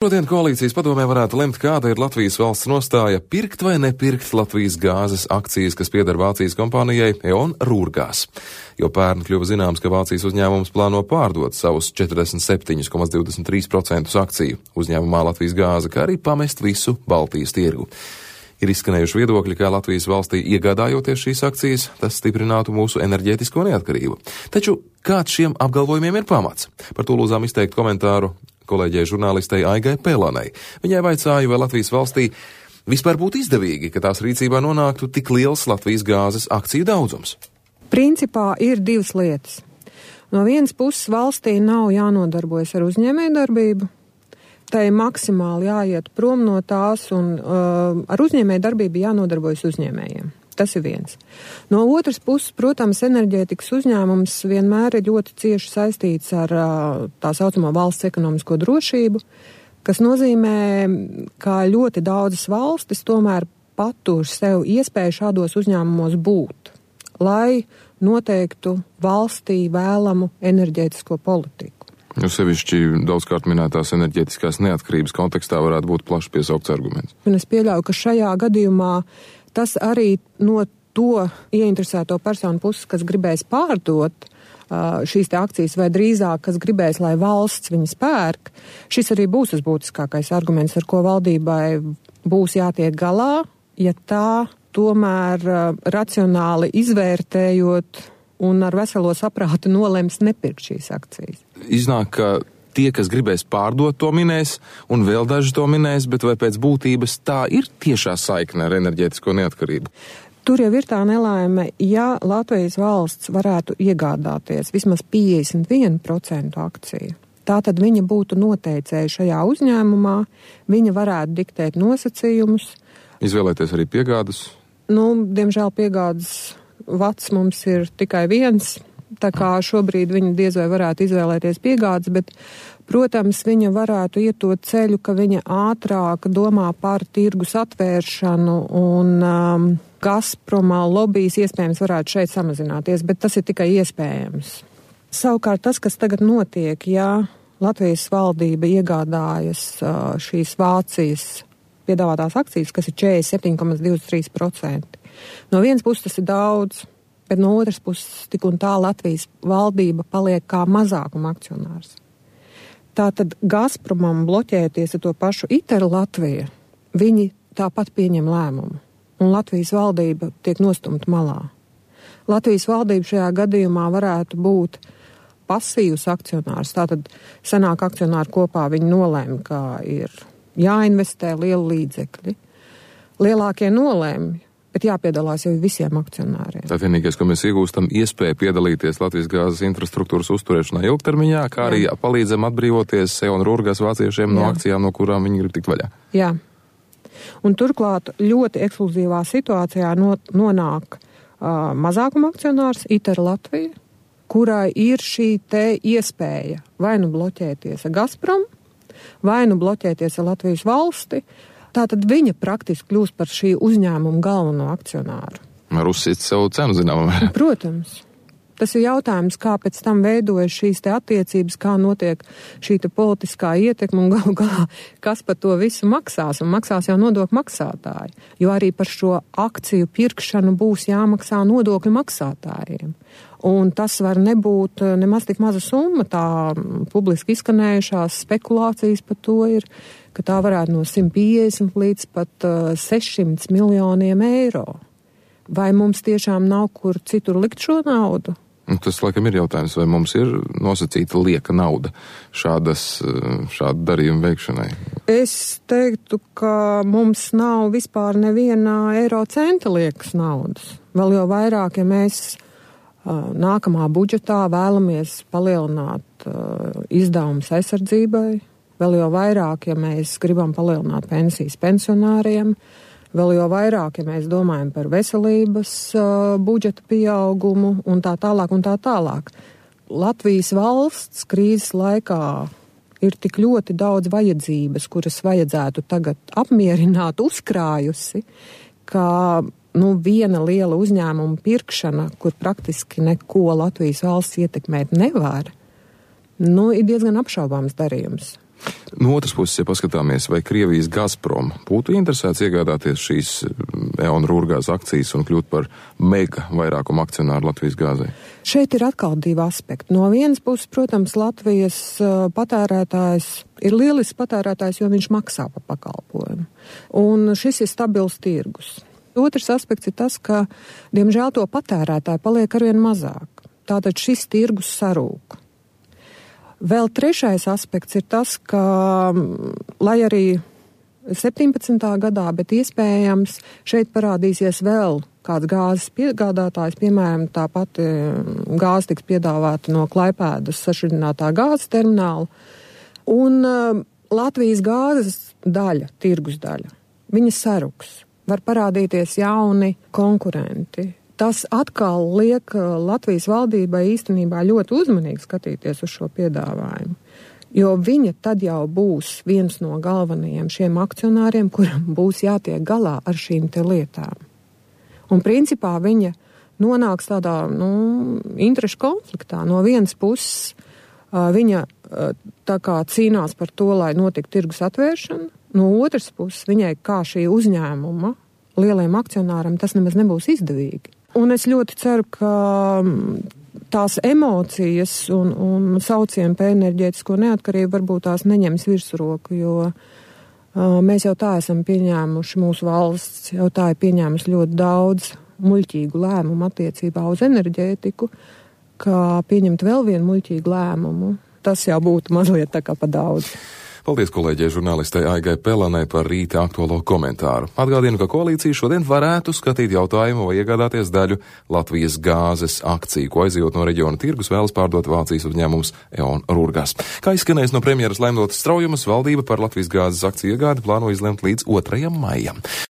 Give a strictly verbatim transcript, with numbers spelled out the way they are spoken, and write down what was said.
Šodien koalīcijas padomē varētu lemt, kāda ir Latvijas valsts nostāja pirkt vai nepirkt Latvijas gāzes akcijas, kas pieder Vācijas kompānijai E.ON Rūrgās. Jo pērn kļuva zināms, ka Vācijas uzņēmums plāno pārdot savus četrdesmit septiņi komats divdesmit trīs procenti akciju uzņēmumā Latvijas gāze, kā arī pamest visu Baltijas tirgu. Ir izskanējuši viedokļi, ka Latvijas valstī iegādājoties šīs akcijas, tas stiprinātu mūsu enerģētisko neatkarību. Taču kāds šiem apgalvojumiem ir pamats? Par to lūdzām izteikt komentāru kolēģei žurnālistei Aigai Pēlānei. Viņai vaicāja, vai Latvijas valstī vispār būtu izdevīgi, ka tās rīcībā nonāktu tik liels Latvijas gāzes akciju daudzums. Principā ir divas lietas. No vienas puses valstī nav jānodarbojas ar uzņēmējdarbību, tai maksimāli jāiet prom no tās un uh, ar uzņēmējdarbību jānodarbojas uzņēmējiem. Tas ir viens. No otras puses, protams, enerģētikas uzņēmums vienmēr ir ļoti cieši saistīts ar tā saucamo valsts ekonomisko drošību, kas nozīmē, ka ļoti daudzas valstis tomēr patur sev iespēju šādos uzņēmumos būt, lai noteiktu valstī vēlamu enerģētisko politiku. Jo sevišķi daudzkārt minētās enerģētiskās neatkarības kontekstā varētu būt plaši piesaukts arguments. Un es pieļauju, ka šajā gadījumā tas arī no to ieinteresēto personu puses, kas gribēs pārdot uh, šīs te akcijas, vai drīzāk, kas gribēs, lai valsts viņas pērk, šis arī būs tas būtiskākais arguments, ar ko valdībai būs jātiek galā, ja tā tomēr uh, racionāli izvērtējot un ar veselo saprātu nolems nepirkt šīs akcijas. Iznāk, ka tie, kas gribēs pārdot, to minēs, un vēl daži to minēs, bet vai pēc būtības tā ir tiešā saikne ar enerģētisko neatkarību? Tur jau ir tā nelaime, ja Latvijas valsts varētu iegādāties vismaz piecdesmit vienu procentu akciju. Tātad viņa būtu noteicēja šajā uzņēmumā, viņa varētu diktēt nosacījumus. Izvēlēties arī piegādas? Nu, diemžēl piegādas vats mums ir tikai viens. Tā kā šobrīd viņa diez vai varētu izvēlēties piegādes, bet, protams, viņa varētu iet to ceļu, ka viņa ātrāk domā par tirgus atvēršanu un um, Gazpromā lobbyis iespējams varētu šeit samazināties, bet tas ir tikai iespējams. Savukārt tas, kas tagad notiek, ja Latvijas valdība iegādājas uh, šīs Vācijas piedāvātās akcijas, kas ir četrdesmit septiņi komats divdesmit trīs procenti. No vienas puses tas ir daudz, bet no otras puses tik un tā Latvijas valdība paliek kā mazākuma akcionārs. Tātad Gazpromam bloķēties ar to pašu ITER Latviju, viņi tāpat pieņem lēmumu, un Latvijas valdība tiek nostumta malā. Latvijas valdība šajā gadījumā varētu būt pasīvs akcionārs, tātad senāk akcionāri kopā viņi nolēma, ka ir jāinvestē lieli līdzekļi. Lielākie nolēma, bet jāpiedalās jau visiem akcionāriem. Tā vienīgais, ko mēs iegūstam, iespēja piedalīties Latvijas gāzes infrastruktūras uzturēšanā ilgtermiņā, kā arī Jā. palīdzam atbrīvoties E.ON Rūrgās vāciešiem Jā. no akcijām, no kurām viņi grib tikt vaļā. Jā. Un turklāt ļoti ekskluzīvā situācijā no, nonāk uh, mazākuma akcionārs ITER Latvija, kurai ir šī te iespēja vai nu bloķēties ar Gazprom, vai nu bloķēties ar Latvijas valsti. Tātad viņa praktiski kļūst par šī uzņēmuma galveno akcionāru. Var uzsist savu cenu, zinām. Protams. Tas ir jautājums, kā pēc tam veidojas šīs te attiecības, kā notiek šī te politiskā ietekme un galu galā, kas par to visu maksās. Un maksās jau nodokļu maksātāji, jo arī par šo akciju pirkšanu būs jāmaksā nodokļu maksātājiem. Un tas var nebūt nemaz tik maza summa, tā publiski izskanējušās spekulācijas par to ir, ka tā varētu no simt piecdesmit līdz pat uh, sešsimt miljoniem eiro. Vai mums tiešām nav kur citur likt šo naudu? Tas, laikam, ir jautājums, vai mums ir nosacīta lieka nauda šādas, šādu darījumu veikšanai? Es teiktu, ka mums nav vispār neviena eiro centa liekas naudas. Vēl jau vairāk, ja mēs uh, nākamā budžetā vēlamies palielināt uh, izdevumus aizsardzībai, vēl jau vairāk, ja mēs gribam palielināt pensijas pensionāriem, vēl jau vairāk, ja mēs domājam par veselības uh, budžeta pieaugumu un tā tālāk un tā tālāk. Latvijas valsts krīzes laikā ir tik ļoti daudz vajadzības, kuras vajadzētu tagad apmierināt, uzkrājusi, ka nu, viena liela uzņēmuma pirkšana, kur praktiski neko Latvijas valsts ietekmēt nevar, nu, ir diezgan apšaubāms darījums. No otras puses, ja paskatāmies, vai Krievijas Gazprom būtu interesēts iegādāties šīs E.ON Rūrgāzes akcijas un kļūt par mega vairākumu akcionāru Latvijas gāzei? Šeit ir atkal divi aspekti. No vienas puses, protams, Latvijas patērētājs ir lielisks patērētājs, jo viņš maksā par pakalpojumu. Un šis ir stabils tirgus. Otrs aspekts ir tas, ka, diemžēl, to patērētāju paliek arvien mazāk. Tātad šis tirgus sarūk. Vēl trešais aspekts ir tas, ka, lai arī septiņpadsmitā gadā, bet iespējams šeit parādīsies vēl kāds gāzes piegādātājs, piemēram, tā pati gāze tiks piedāvāta no Klaipēdas sašķidrinātā gāzes termināla, un uh, Latvijas gāzes daļa, tirgus daļa, viņa saruks, var parādīties jauni konkurenti. Tas atkal liek Latvijas valdībai īstenībā ļoti uzmanīgi skatīties uz šo piedāvājumu, jo viņa tad jau būs viens no galvenajiem šiem akcionāriem, kuram būs jātiek galā ar šīm te lietām. Un principā viņa nonāks tādā, nu, interešu konfliktā. No vienas puses viņa tā kā cīnās par to, lai notiktu tirgus atvēršana, no otras puses viņai kā šī uzņēmuma lielajiem akcionāram tas nemaz nebūs izdevīgi. Un es ļoti ceru, ka tās emocijas un, un saucieni par enerģētisko neatkarību varbūt tās neņems virsroku, jo uh, mēs jau tā esam pieņēmuši, mūsu valsts jau tā ir pieņēmusi ļoti daudz muļķīgu lēmumu attiecībā uz enerģētiku, ka pieņemt vēl vienu muļķīgu lēmumu, tas jau būtu mazliet tā kā pa daudz. Paldies kolēģei žurnālistei Aigai Pelanai par rīta aktuālo komentāru. Atgādinu, ka koalīcija šodien varētu skatīt jautājumu vai iegādāties daļu Latvijas gāzes akciju, ko aizjūt no reģiona tirgus vēlas pārdot Vācijas uzņēmums E.ON Rūrgās. Kā izskanējis no premjeras Laimdotas Straujumas, valdība par Latvijas gāzes akciju iegādi plāno izlemt līdz otrajam maijam.